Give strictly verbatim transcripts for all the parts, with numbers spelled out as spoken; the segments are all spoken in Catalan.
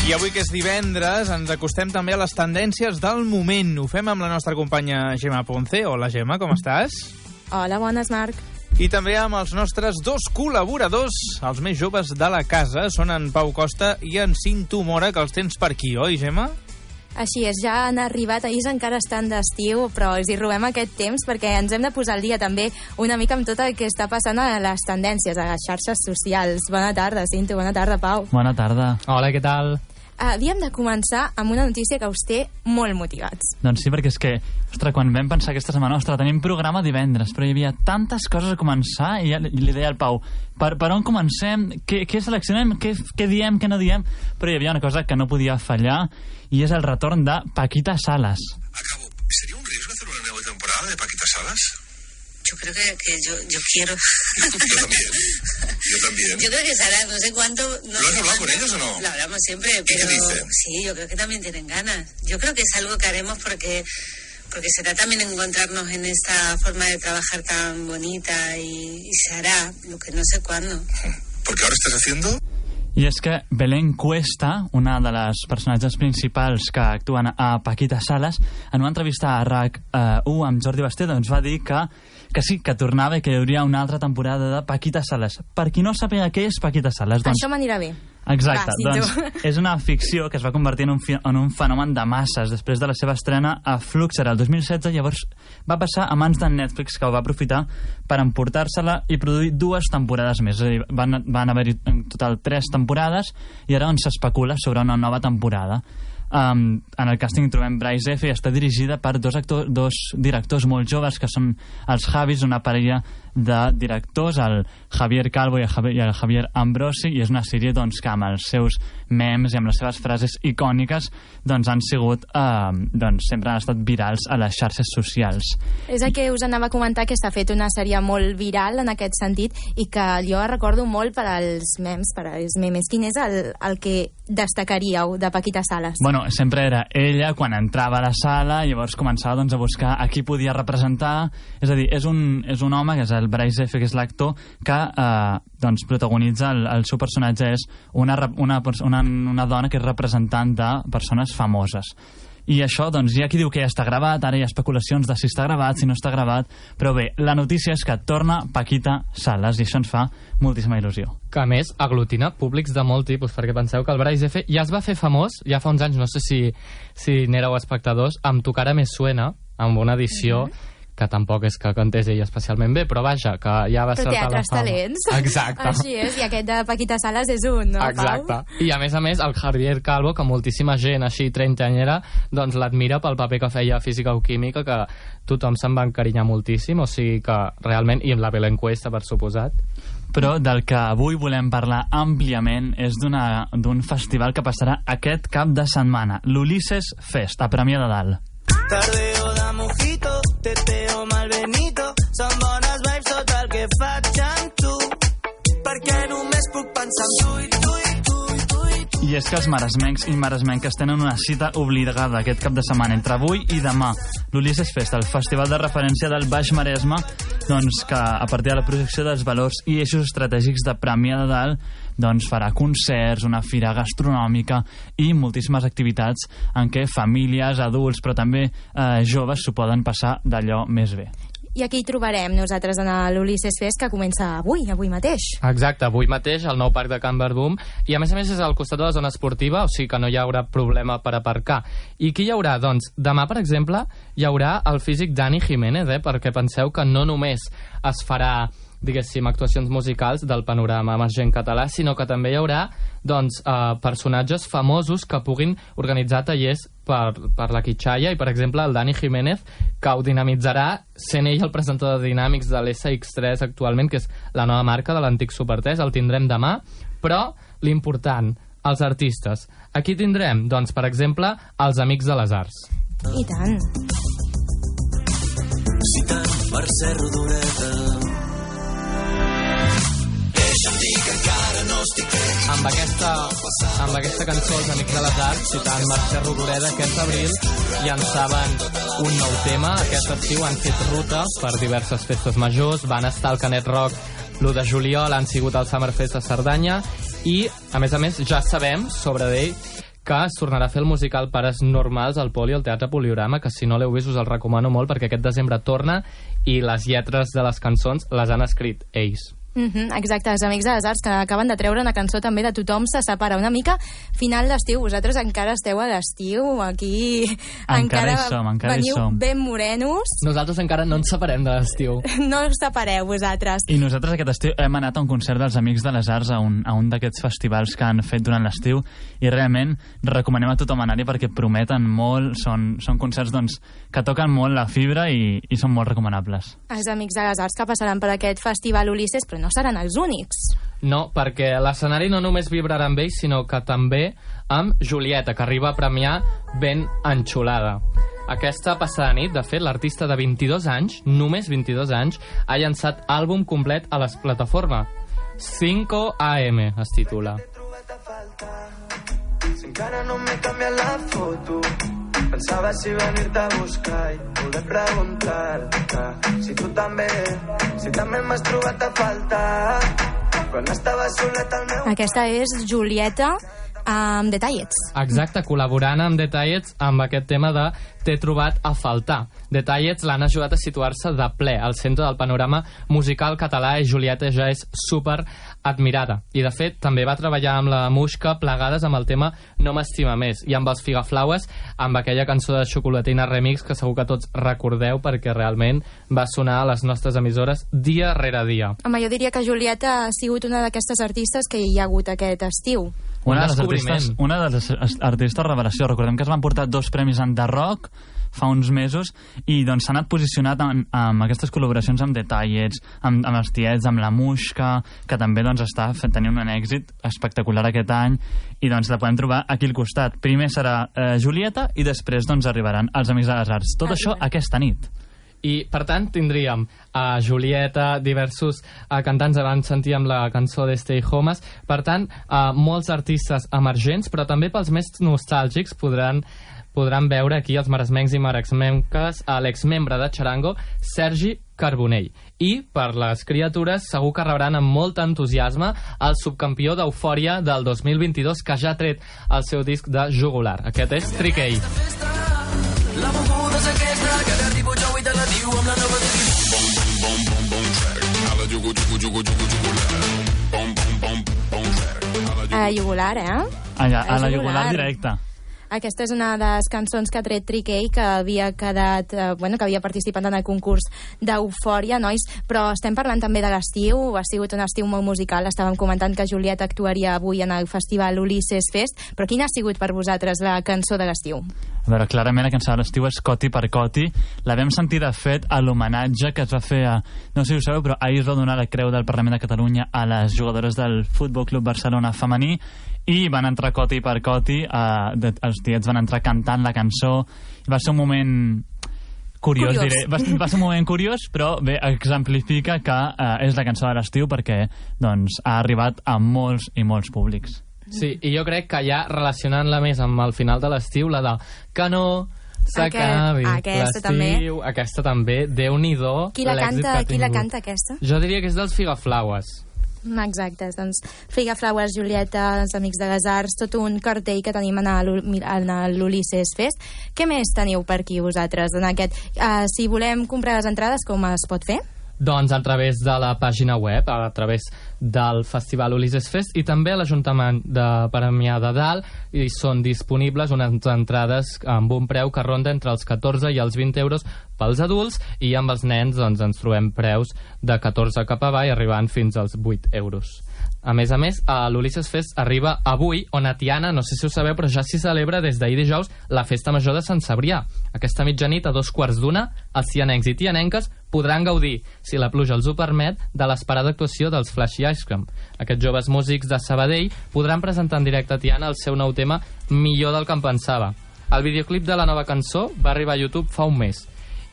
I avui, que és divendres, ens acostem també a les tendències del moment. Ho fem amb la nostra companya Gemma Ponce. Hola, Gemma, com estàs? Hola, bones, Marc. I també amb els nostres dos col·laboradors, els més joves de la casa. Són en Pau Costa i en Cinto Mora, que els tens per aquí, oi, Gemma? Així és, ja han arribat, ells encara estan d'estiu, però els hi robem aquest temps perquè ens hem de posar al dia també una mica amb tot el que està passant a les tendències, a les xarxes socials. Bona tarda, Cinto, bona tarda, Pau. Bona tarda. Hola, què tal? Havíem de començar amb una notícia que us té molt motivats. Doncs sí, perquè és que, ostres, quan vam pensar aquesta setmana, ostres, tenim programa divendres, però hi havia tantes coses a començar i, ja, i li deia al Pau, per, per on comencem, què, què seleccionem, què, què diem, què no diem, però hi havia una cosa que no podia fallar i és el retorn de Paquita Salas. Acabo. ¿Sería un riesgo hacer una nueva temporada de Paquita Salas? Yo creo que, que yo, yo quiero. Yo también. Yo también. Yo creo que será, no sé cuánto. No ¿Lo has sé hablado cuánto, con ellos o no? Lo hablamos siempre, ¿Y pero. qué dicen? Sí, yo creo que también tienen ganas. Yo creo que es algo que haremos porque. Porque será también encontrarnos en esta forma de trabajar tan bonita y, y se hará, lo que no sé cuándo. Porque ahora estás haciendo. I és que Belén Cuesta, una de les personatges principals que actuen a Paquita Salas, en una entrevista a RAC u amb Jordi Basté, doncs va dir que, que sí, que tornava i que hi hauria una altra temporada de Paquita Salas. Per qui no sàpiga què és Paquita Salas, doncs... Això m'anirà bé. Exacte, Va, doncs és una ficció que es va convertir en un, fi, en un fenomen de masses després de la seva estrena a Fluxer el dos mil setze. Llavors va passar a mans de Netflix, que ho va aprofitar per emportar-se-la i produir dues temporades més. És a dir, van, van haver-hi en total tres temporades i ara on s'especula sobre una nova temporada. Um, en el càsting trobem Bryce F. i està dirigida per dos, actors, dos directors molt joves, que són els Javis, una parella de directors, el Javier Calvo i el Javier, i el Javier Ambrosi, i és una sèrie doncs, que amb els seus memes i amb les seves frases icòniques doncs, han sigut uh, doncs, sempre han estat virals a les xarxes socials. És el que us anava a comentar, que s'ha fet una sèrie molt viral en aquest sentit i que jo recordo molt per als memes, per als memes. Quin és el, el que destacaríeu de Paquita Salas? Bueno, sempre era ella quan entrava a la sala i llavors començava doncs, a buscar a qui podia representar. És a dir, és un, és un home, que és el Bryce F., que és l'actor, que eh, doncs, protagonitza el, el seu personatge és una, una, una, una dona que és representant de persones famoses. I això, doncs, hi ha qui diu que ja està gravat, ara hi ha especulacions de si està gravat, si no està gravat, però bé, la notícia és que torna Paquita Salas i això ens fa moltíssima il·lusió. Que a més aglutina públics de molt tipus, perquè penseu que el Bryce F. ja es va fer famós, ja fa uns anys, no sé si, si n'éreu espectadors, amb Tu cara me suena, amb una edició mm-hmm. que tampoc és que cantés ell especialment bé, però vaja, que ja va ser Però teatres talents. Exacte. Així és, i aquest de Paquita Salas és un, no, Exacte. Pau? I a més a més, el Javier Calvo, que moltíssima gent així trentanyera, doncs l'admira pel paper que feia a Física o Química, que tothom se'n va encarinyar moltíssim, o sigui que realment, i amb la Belén Cuesta, per suposat. Però del que avui volem parlar àmpliament és d'un festival que passarà aquest cap de setmana, l'Ulisses Fest, a Premià de Dalt. Tardeo de mojito, teteo malbenito, són bones vibes tot el que faig amb tu, perquè només puc pensar en tu i tu i tu i tu i tu. I és que els maresmencs i maresmenques tenen una cita obligada aquest cap de setmana entre avui i demà. L'Ulisses Fest, el festival de referència del Baix Maresme, doncs que a partir de la projecció dels valors i eixos estratègics de Premià de Dalt doncs farà concerts, una fira gastronòmica i moltíssimes activitats en què famílies, adults, però també eh, joves s'ho poden passar d'allò més bé. I aquí hi trobarem nosaltres en l'Ulisses Fest, que comença avui, avui mateix. Exacte, avui mateix, al nou parc de Can Verdum, i a més a més és al costat de la zona esportiva, o sigui que no hi haurà problema per aparcar. I qui hi haurà? Doncs demà, per exemple, hi haurà el físic Dani Jiménez, eh? Perquè penseu que no només es farà, diguéssim, actuacions musicals del panorama emergent català, sinó que també hi haurà doncs, eh, personatges famosos que puguin organitzar tallers per, per la Quitxalla, i per exemple el Dani Jiménez, que ho dinamitzarà sent ell el presentador de Dinàmics de l'S X tres actualment, que és la nova marca de l'antic Supertres. El tindrem demà, però l'important, els artistes. Aquí tindrem, doncs, per exemple, els Amics de les Arts. I tant. Citant Mercè Rodoreda. Amb aquesta, amb aquesta cançó, els Amics de les Arts, citant Mercè Rodoreda, aquest abril llançaven un nou tema. Aquest estiu han fet ruta per diverses festes majors, van estar al Canet Rock l'u de juliol, han sigut al Summerfest a Cerdanya, i, a més a més, ja sabem sobre ell que es tornarà a fer el musical Pares Normals al Poli, al Teatre Poliorama, que si no l'heu vist us el recomano molt perquè aquest desembre torna i les lletres de les cançons les han escrit ells. Mm-hmm, exacte, els Amics de les Arts, que acaben de treure una cançó també de Tothom se separa, una mica final d'estiu. Vosaltres encara esteu a l'estiu, aquí encara, encara hi som, encara veniu hi som. ben morenos. Nosaltres encara no ens separem de l'estiu. No us separeu vosaltres. I nosaltres aquest estiu hem anat a un concert dels Amics de les Arts, a un, a un d'aquests festivals que han fet durant l'estiu, i realment recomanem a tothom anar-hi perquè prometen molt, són, són concerts doncs, que toquen molt la fibra i, i són molt recomanables. Els Amics de les Arts que passaran per aquest festival Ulisses, però no seran els únics. No, perquè l'escenari no només vibrarà amb ells, sinó que també amb Julieta, que arriba a premiar ben enxulada. Aquesta passada nit, de fet, l'artista de vint-i-dos anys, només vint-i-dos anys, ha llançat àlbum complet a les plataformes. cinco a eme es titula. Si encara no m'he canviat la foto, pensava si venir-te a buscar i poder preguntar-te si tu també, si també m'has trobat a faltar quan estava solet al meu... Aquesta és Julieta amb Detallets. Exacte, col·laborant amb Detallets amb aquest tema de T'he trobat a faltar. Detallets l'han ajudat a situar-se de ple al centre del panorama musical català i Julieta ja és super admirada. I de fet també va treballar amb la Muixca plegades amb el tema No m'estima més i amb els Figaflaues amb aquella cançó de Xocolatina Remix que segur que tots recordeu perquè realment va sonar a les nostres emissores dia rere dia. Home, jo diria que Julieta ha sigut una d'aquestes artistes que hi ha hagut aquest estiu. Una de les artistes, una de les artistes revelació. Recordem que es van portar dos premis en The Rock fa uns mesos i doncs s'ha anat posicionat amb, amb aquestes col·laboracions amb Detallets, amb, amb els Tiets, amb la Muixca, que també doncs està tenint un èxit espectacular aquest any i doncs la podem trobar aquí al costat. Primer serà eh, Julieta i després doncs arribaran els Amics de les Arts. Tot això aquesta nit. I, per tant, tindríem a Julieta, diversos uh, cantants van sentir amb la cançó de Stay Homes. Per tant, uh, molts artistes emergents, però també pels més nostàlgics podran, podran veure aquí els maresmencs i maresmenques a l'exmembre de Charango, Sergi Carbonell. I, per les criatures, segur que rebran amb molt entusiasme el subcampió d'Eufòria del dos mil vint-i-dos, que ja ha tret el seu disc de jugular. Aquest és Trickey. La moguda és aquesta, que t'arribo jo i te la diu amb la nova de bom, bom, bom, bom, bom, track. A la jugu, jugu, jugu, jugu, jugular. Bom, bom, bom, bom, track. A la jugular, eh? Allà, a la jugular directa. Aquesta és una de les cançons que ha tret Trickey, que havia quedat, eh, bueno, que havia participat en el concurs d'Eufòria, nois, però estem parlant també de l'estiu, ha sigut un estiu molt musical, estàvem comentant que Julieta actuaria avui en el festival Ulisses Fest, però quina ha sigut per vosaltres la cançó de l'estiu? A veure, clarament la cançó de l'estiu és Coti per Coti. La vam sentir, de fet, a l'homenatge que es va fer a... No sé si ho sabeu, però ahir es va donar la Creu del Parlament de Catalunya a les jugadores del Futbol Club Barcelona femení i van entrar Coti per Coti, eh, de, els tiets van entrar cantant la cançó. Va ser un moment curiós, curiós. diré. Va, va ser un moment curiós, però bé, exemplifica que eh, és la cançó de l'estiu perquè doncs, ha arribat a molts i molts públics. Sí, i jo crec que ja relacionant-la més amb el final de l'estiu, la de que no s'acabi l'estiu, aquesta també, Déu-n'hi-do qui la canta, qui la canta aquesta? Jo diria que és dels Figaflaues. Exacte, doncs Figaflaues, Julieta, els Amics de les Arts, tot un cartell que tenim en l'Ulisses Fest. Què més teniu per aquí vosaltres en aquest? Uh, si volem comprar les entrades, com es pot fer? Doncs a través de la pàgina web, a través del Festival Ulisses Fest i també a l'Ajuntament de Premià de Dalt i són disponibles unes entrades amb un preu que ronda entre els catorze i els vint euros pels adults i amb els nens doncs, ens trobem preus de catorze cap avall arribant fins als vuit euros. A més a més, a l'Ulisses Fest arriba avui, on a Tiana, no sé si ho sabeu, però ja s'hi celebra des d'ahir dijous la Festa Major de Sant Cebrià. Aquesta mitjanit, a dos quarts d'una, els tianencs i tianenques podran gaudir, si la pluja els ho permet, de l'esperada actuació dels Flashy Ice Cream. Aquests joves músics de Sabadell podran presentar en directe a Tiana el seu nou tema Millor del que em pensava. El videoclip de la nova cançó va arribar a YouTube fa un mes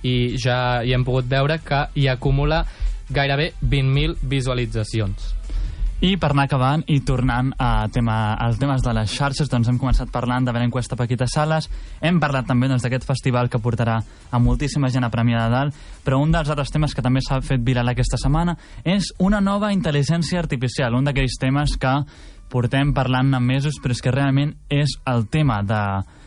i ja hi hem pogut veure que hi acumula gairebé vint mil visualitzacions. I per anar acabant i tornant a tema, als temes de les xarxes, doncs hem començat parlant de Belencuesta Paquita Salas, hem parlat també doncs, d'aquest festival que portarà a moltíssima gent a Premià de Dalt, però un dels altres temes que també s'ha fet viral aquesta setmana és una nova intel·ligència artificial, un d'aquells temes que portem parlant-ne mesos, però és que realment és el tema de,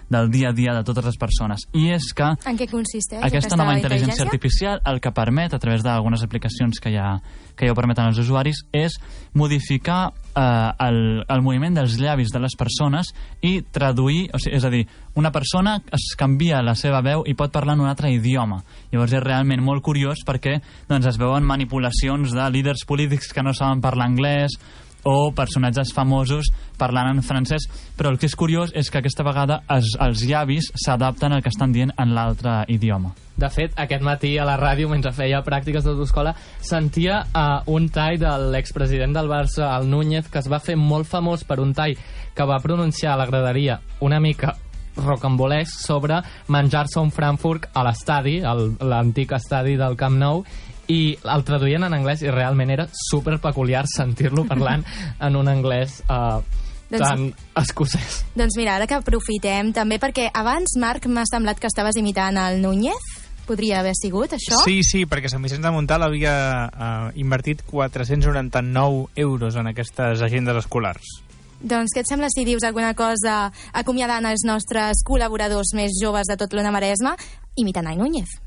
del dia a dia de totes les persones. I és que... En què consisteix aquesta, aquesta nova intel·ligència, intel·ligència artificial el que permet, a través d'algunes aplicacions que ja, que ja ho permeten als usuaris, és modificar eh, el, el moviment dels llavis de les persones i traduir, o sigui, és a dir, una persona es canvia la seva veu i pot parlar en un altre idioma. Llavors és realment molt curiós perquè doncs, es veuen manipulacions de líders polítics que no saben parlar anglès o personatges famosos parlant en francès, però el que és curiós és que aquesta vegada es, els llavis s'adapten al que estan dient en l'altre idioma. De fet, aquest matí a la ràdio, mentre feia pràctiques d'autoescola, sentia uh, un tall de l'expresident del Barça, el Núñez, que es va fer molt famós per un tall que va pronunciar a la graderia una mica rocambolesc sobre menjar-se un Frankfurt a l'estadi, l'antic estadi del Camp Nou, i el traduïen en anglès i realment era super peculiar sentir-lo parlant en un anglès uh, doncs, tan escocès. Doncs mira, ara que aprofitem també, perquè abans, Marc, m'ha semblat que estaves imitant el Núñez. Podria haver sigut això? Sí, sí, perquè Sant Vicenç de Montalt havia uh, invertit quatre-cents noranta-nou euros en aquestes agendes escolars. Doncs què et sembla si dius alguna cosa acomiadant els nostres col·laboradors més joves de tot l'Ona Maresme imitant el Núñez?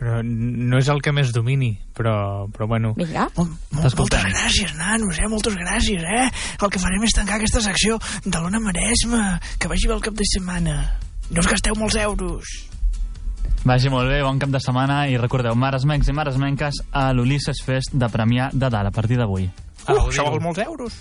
Però no és el que més domini, però, però bueno... Vinga. Mol, mol, moltes gràcies, nanos, eh? Moltes gràcies, eh? El que farem és tancar aquesta secció de l'Ona Maresme. Que vagi bé el cap de setmana. No us gasteu molts euros. Vagi molt bé, bon cap de setmana, i recordeu, maresmencs i maresmenques, a l'Ulisses Fest de Premià de Dalt, a partir d'avui. Uh, això vol molts euros.